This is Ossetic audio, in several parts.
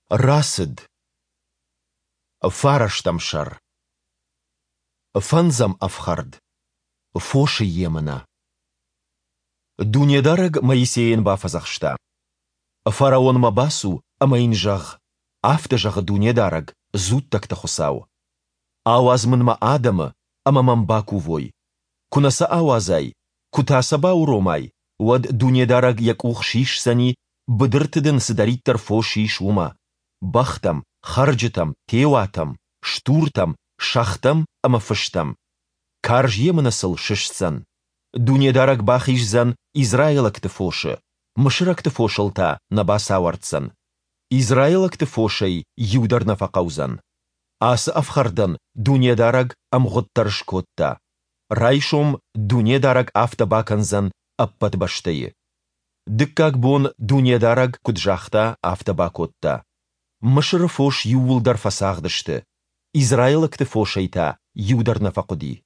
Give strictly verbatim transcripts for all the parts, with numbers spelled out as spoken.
Рацыд. Фарӕстӕм сӕр. Фӕндзӕм ӕфхӕрд. Фосы емынӕ. Дунедарӕг Моисейӕн бафӕдзӕхста: Фараонмӕ бацу ӕмӕ йын зӕгъ: Афтӕ зӕгъы Дунедарӕг, дзуттӕгты Хуыцау. Ауадз Мын Мӕ адӕмы, ӕмӕ Мӕм бакувой. Куы нӕ сӕ ауадзай, куы та сӕ бауромай, уӕд Дунедарӕг Йӕ къух сисдзӕни, быдырты дын цыдӕриддӕр фос ис, уымӕ, бӕхтӕм, хӕрджытӕм, теуатӕм, стуртӕм, сӕгътӕм ӕмӕ фыстӕм. Карз емынӕ сыл сыстдзӕн. Дунедарӕг бахиздзӕн израилӕгты фосы, мысырӕгты фосыл та нӕ бацауӕрддзӕн. Израилӕгты фосӕй иу дӕр нӕ фӕхъӕудзӕн. Ацы ӕфхӕрдӕн Дунедарӕг ӕмгъуыд дӕр скодта. Райсом Дунедарӕг афтӕ бакӕндзӕн ӕппӕт бӕстӕйы. Дыккаг бон Дунедарӕг, куыд загъта, афтӕ бакодта. Мысыры фос иууылдӕр фӕцагъды сты, израилӕгты фосӕй та иу дӕр нӕ фӕхъуыди.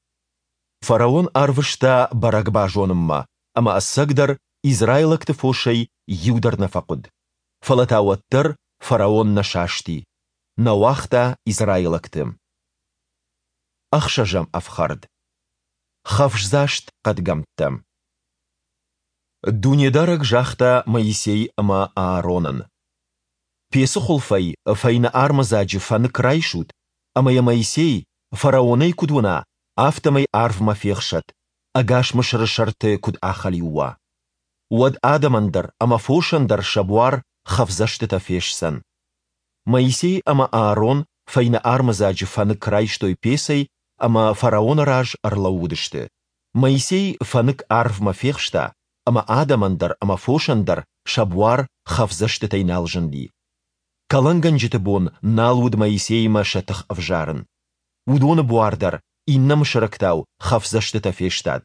Фараон арвыста бӕрӕг базонынмӕ, ӕмӕ ӕцӕгдӕр израилӕгты фосӕй иу дӕр нӕ фӕхъуыд. Фӕлӕ та уӕддӕр фараон нӕ састи, нӕ уагъта израилӕгты. Ӕхсӕзӕм ӕфхӕрд. Хӕфсдзаст хъӕдгӕмттӕ. Дунедарӕг загъта Моисей ӕмӕ Ааронӕн: Пецы хуылфӕй фӕйнӕ армыдзаджы фӕнык райсут, ӕмӕ йӕ Моисей, фараон ӕй куыд уына, афтӕмӕй арвмӕ фехсӕд, ӕгас Мысыры сӕрты куыд ахӕлиу уа. Уӕд адӕмӕн дӕр ӕмӕ фосӕн дӕр сӕ буар хӕфдзӕстытӕ фестдзӕн. Моисей ӕмӕ Аарон фӕйнӕ армыдзаджы фӕнык райстой пецӕй ӕмӕ фараоны раз ӕрлӕууыдысты. Моисей фӕнык арвмӕ фехста, ӕмӕ адӕмӕн дӕр ӕмӕ фосӕн дӕр сӕ буар хӕфдзӕстытӕй нал зынди. Кӕлӕнгӕнджыты бон нал уыд Моисеимӕ сӕ тых ӕвзарын. Уыдоны буар дӕр иннӕ мысырӕгтау хӕфдзӕстытӕ фестад.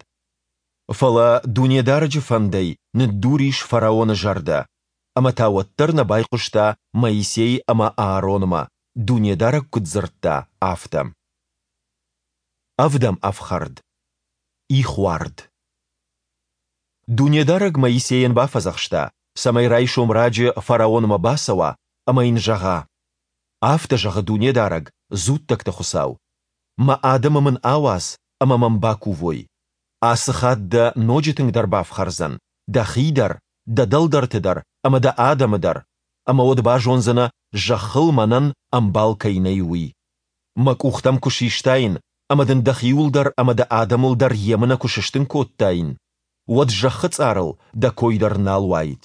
Фӕлӕ Дунедарӕджы фӕндӕй ныддур ис фараоны зӕрдӕ, ӕмӕ та уӕддӕр нӕ байхъуыста Моисей ӕмӕ Ааронмӕ, Дунедарӕг куыд дзырдта, афтӕ. Ӕвдӕм ӕфхӕрд. Ихуард. Дунедарӕг Моисейӕн бафӕдзӕхста, цӕмӕй райсом раджы фараонмӕ бацӕуа ӕмӕ йын зӕгъа: Афтӕ зӕгъы Дунедарӕг, дзуттӕгты Хуыцау: Мӕ адӕмы Мын ауадз, ӕмӕ Мӕм бакувой. Ацы хатт дӕ ноджы тынгдӕр бафхӕрдзӕн, дӕхи дӕр, дӕ дӕлдӕрты дӕр ӕмӕ дӕ адӕмы дӕр, ӕмӕ уӕд базондзынӕ, зӕххыл Мӕнӕн ӕмбал кӕй нӕй, уый. Мӕ къух дӕм куы систаин ӕмӕ дын дӕхиуыл дӕр ӕмӕ дӕ адӕмыл дӕр емынӕ куы сыстын кодтаин, уӕд зӕххы цъарыл дӕ кой дӕр нал уаид.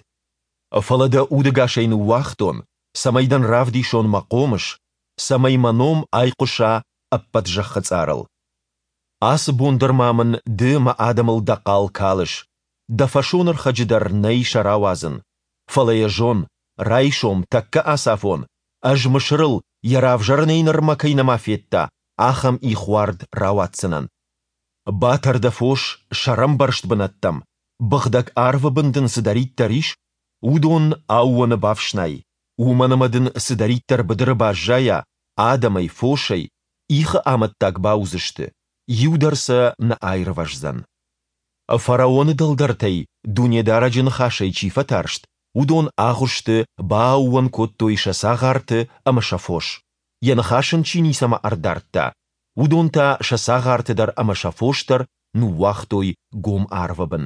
Фӕлӕ дӕ удӕгасӕй ныууагътон, цӕмӕй дын равдисон мӕ хъомыс, цӕмӕй мӕ ном айхъуыса ӕппӕт зӕххы цъарыл. Ацы бон дӕр ма мын ды мӕ адӕмыл дӕ хъал калыс, дӕ фӕсонӕрхӕджы дӕр нӕй сӕ рауадзын. Фӕлӕ йӕ зон, райсом, тӕккӕ ацафон, ӕз Мысырыл, йӕ равзӕрынӕй нырмӕ кӕй нӕма федта, ахӕм ихуард рауадздзынӕн. Батӕр дӕ фос сӕрӕмбӕрзт бынӕттӕм, быгъдӕг арвы бын дын цыдӕриддӕр ис, уыдон аууоны бафснай, уымӕн ӕмӕ дын цыдӕриддӕр быдыры баззайа, адӕмӕй, фосӕй, ихы амӕттаг бауыдзысты, иу дӕр сӕ нӕ аирвӕздзӕн. Фараоны дӕлдӕртӕй Дунедарӕджы ныхасӕй чи фӕтарст, уыдон агъуысты бааууон кодтой сӕ цагъарты ӕмӕ сӕ фос, йӕ ныхас ын чи ницӕмӕ ӕрдардта, уыдон та сӕ цагъарты дӕр ӕмӕ сӕ фос дӕр ныууагътой гом арвы бын.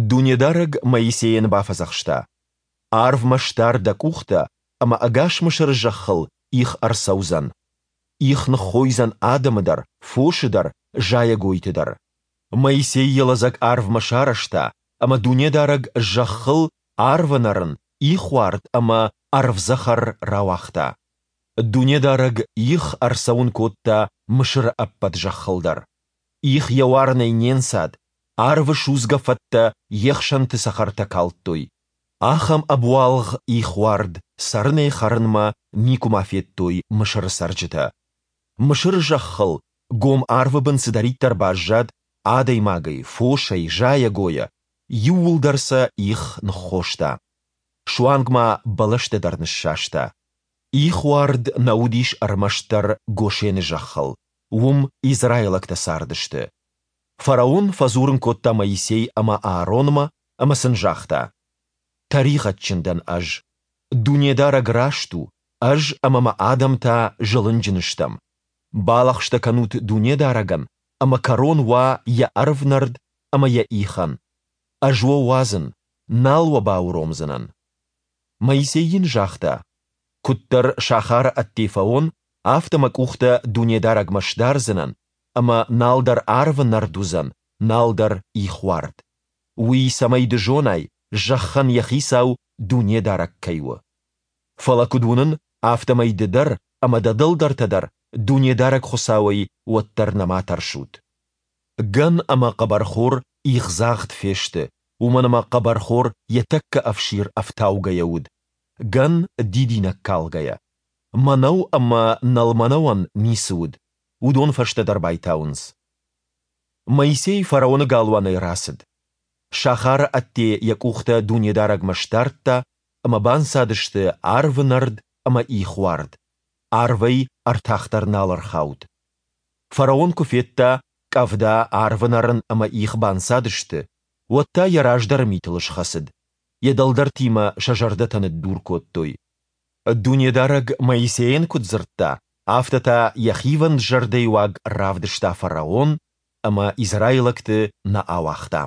Дунедарӕг Моисейӕн бафӕдзӕхста: Арвмӕ сдар дӕ къухтӕ, ӕмӕ ӕгас Мысыры зӕххыл их ӕрцӕудзӕн. Их ныххойдзӕн адӕмы дӕр, фосы дӕр, зайӕгойты дӕр. Моисей йӕ лӕдзӕг арвмӕ сарӕзта, ӕмӕ Дунедарӕг зӕххыл арвы нӕрын, ихуард ӕмӕ ӕрвдзӕхӕр рауагъта. Дунедарӕг их ӕрцӕуын кодта Мысыры ӕппӕт зӕххыл дӕр. Их йӕ уарынӕй не нцад, арвы судзгӕ фӕттӕ йе хсӕнты цӕхӕртӕ калдтой. Ахӕм ӕбуалгъ ихуард цӕрынӕй-хӕрынмӕ никуыма федтой Мысыры цӕрджытӕ. Мысыры зӕххыл гом арвы бын цыдӕриддӕр баззад адӕймагӕй, фосӕй, зайӕгойӕ, иууылдӕр сӕ их ныххоста. Суанг ма бӕлӕстӕ дӕр ныссаста. Ихуард нӕ уыдис ӕрмӕстдӕр Гошены зӕххыл, уым израилӕгтӕ цардысты. Фараон фӕдзурын кодта Моисей ӕмӕ Ааронмӕ ӕмӕ сын загъта: Тӕригъӕдджын дӕн ӕз. Дунедарӕг раст у, Ӕз ӕмӕ мӕ адӕм та зылынджын стӕм. Балӕгъстӕ кӕнут Дунедарӕгӕн, ӕмӕ кӕрон уа Йӕ ӕрвнӕрд ӕмӕ Йӕ ихӕн. Ӕз уӕ уадзын, нал уӕ бауромдзынӕн. Моисей йын загъта, Куыддӕр сахары ӕдде фӕуон, афтӕ мӕ къухтӕ Дунедарӕгмӕ сдардзынӕн, ӕмӕ налдӕр арвы нӕрд уыдзӕн, налдӕр ихуард. Уый цӕмӕй ды зонай, зӕххӕн йӕ хицау Дунедарӕг кӕй у. Фӕлӕ куыд уынын, афтӕмӕй ды дӕр ӕмӕ дӕ дӕлдӕртӕ дӕр Дунедарӕг Хуыцауӕй уӕддӕр нӕма тӕрсут. Гӕн ӕмӕ хъӕбӕрхор ихдзагъд фесты, уымӕн ӕмӕ хъӕбӕрхор йӕ тӕккӕ ӕфсир ӕфтаугӕйӕ уыд, гӕн дидинӕг калгӕйӕ. Мӕнӕу ӕмӕ нӕлмӕнӕуӕн ницы уыд, уыдон фӕстӕдӕр байтауынц. Моисей фараоны галуанӕй рацыд. Сахары ӕдде йӕ къухтӕ Дунедарӕгмӕ сдардта, ӕмӕ банцадысты арвы нӕрд ӕмӕ ихуард, арвӕй ӕртах дӕр нал ӕрхауд. Фараон куы федта, къӕвда, арвы нӕрын ӕмӕ их банцадысты, уӕд та йӕ раздӕры митыл схӕцыд, йӕ дӕлдӕртимӕ сӕ зӕрдӕтӕ ныддур кодтой. Дунедарӕг Моисейӕн куыд дзырдта, афтӕ та йӕ хивӕнд зӕрдӕйы уаг равдыста фараон ӕмӕ израилӕгты нӕ ауагъта.